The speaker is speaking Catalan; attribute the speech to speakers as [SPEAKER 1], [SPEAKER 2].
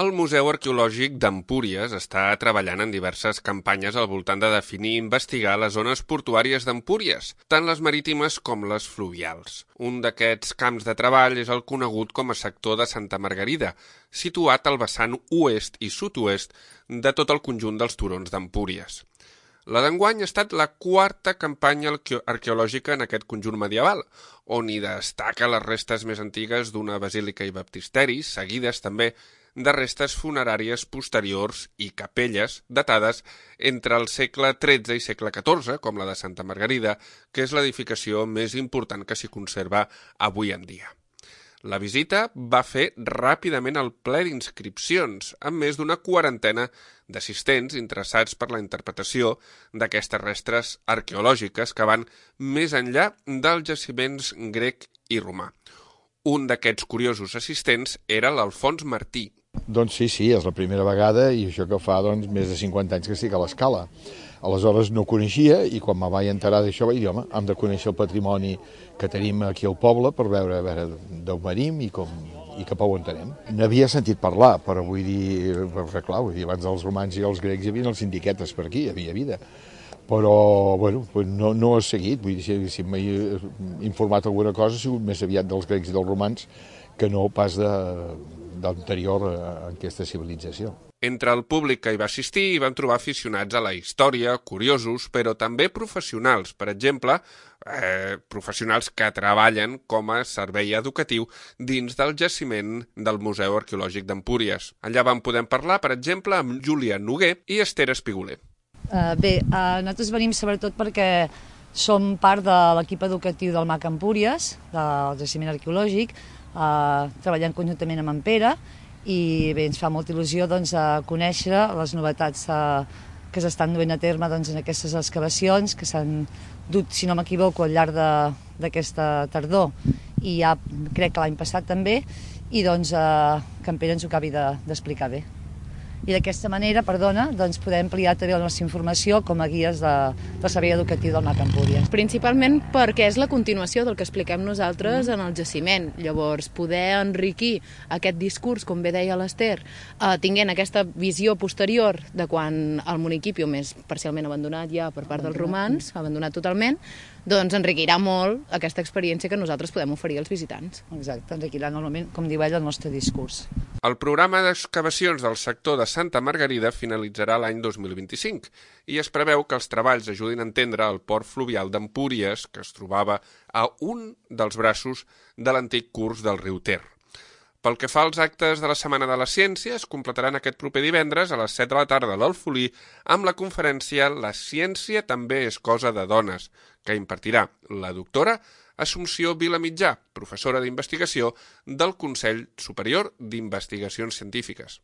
[SPEAKER 1] El Museu Arqueològic d'Empúries està treballant en diverses campanyes al voltant de definir i investigar les zones portuàries d'Empúries, tant les marítimes com les fluvials. Un d'aquests camps de treball és el conegut com a sector de Santa Margarida, situat al vessant oest i sud-oest de tot el conjunt dels turons d'Empúries. La d'enguany ha estat la quarta campanya arqueològica en aquest conjunt medieval, on hi destaca les restes més antigues d'una basílica i baptisteri, seguides també de restes funeràries posteriors i capelles datades entre el segle XIII i segle XIV, com la de Santa Margarida, que és l'edificació més important que s'hi conserva avui en dia. La visita va fer ràpidament el ple d'inscripcions, amb més d'una quarantena d'assistents interessats per la interpretació d'aquestes restes arqueològiques que van més enllà dels jaciments grec i romà. Un d'aquests curiosos assistents era l'Alfons Martí.
[SPEAKER 2] Doncs sí, és la primera vegada i això que fa més de 50 anys que estic a l'Escala. Aleshores no coneixia i quan me vaig enterar d'això vaig dir, home, hem de conèixer el patrimoni que tenim aquí al poble per veure d'on venim i cap a on anem. N'havia sentit parlar, però vull dir, clar, abans dels romans i els grecs hi havia els sindiquetes per aquí, hi havia vida. Però, bueno, no he seguit, vull dir, si m'he informat alguna cosa ha sigut més aviat dels grecs i dels romans que no pas d'anterior a aquesta civilització.
[SPEAKER 1] Entre el públic que hi va assistir hi van trobar aficionats a la història, curiosos, però també professionals. Per exemple, professionals que treballen com a servei educatiu dins del jaciment del Museu Arqueològic d'Empúries. Allà vam poder parlar, per exemple, amb Júlia Noguer i Esther Espiguler.
[SPEAKER 3] Nosaltres venim sobretot perquè som part de l'equip educatiu del MAC Empúries, del jaciment arqueològic, treballant conjuntament amb en Pere, i bé, ens fa molta il·lusió conèixer les novetats que s'estan duent a terme en aquestes excavacions, que s'han dut, si no m'equivoco, al llarg d'aquesta tardor, i ja crec que l'any passat també, i que en Pere ens ho acabi d'explicar bé. I d'aquesta manera, podem ampliar també la nostra informació com a guies del servei educatiu del MAC Empúries.
[SPEAKER 4] Principalment perquè és la continuació del que expliquem nosaltres en el jaciment. Llavors, poder enriquir aquest discurs, com bé deia l'Ester, tinguent aquesta visió posterior de quan el municipi és parcialment abandonat ja per part dels romans, abandonat totalment, doncs enriquirà molt aquesta experiència que nosaltres podem oferir als visitants.
[SPEAKER 3] Exacte, enriquirà normalment, com diu ell, el nostre discurs.
[SPEAKER 1] El programa d'excavacions del sector de Santa Margarida finalitzarà l'any 2025 i es preveu que els treballs ajudin a entendre el port fluvial d'Empúries, que es trobava a un dels braços de l'antic curs del riu Ter. Pel que fa als actes de la Setmana de la Ciència, es completaran aquest proper divendres a les 7 de la tarda a l'Alfolí amb la conferència La ciència també és cosa de dones, que impartirà la doctora Assumpció Vilamitjà, professora d'investigació del Consell Superior d'Investigacions Científiques.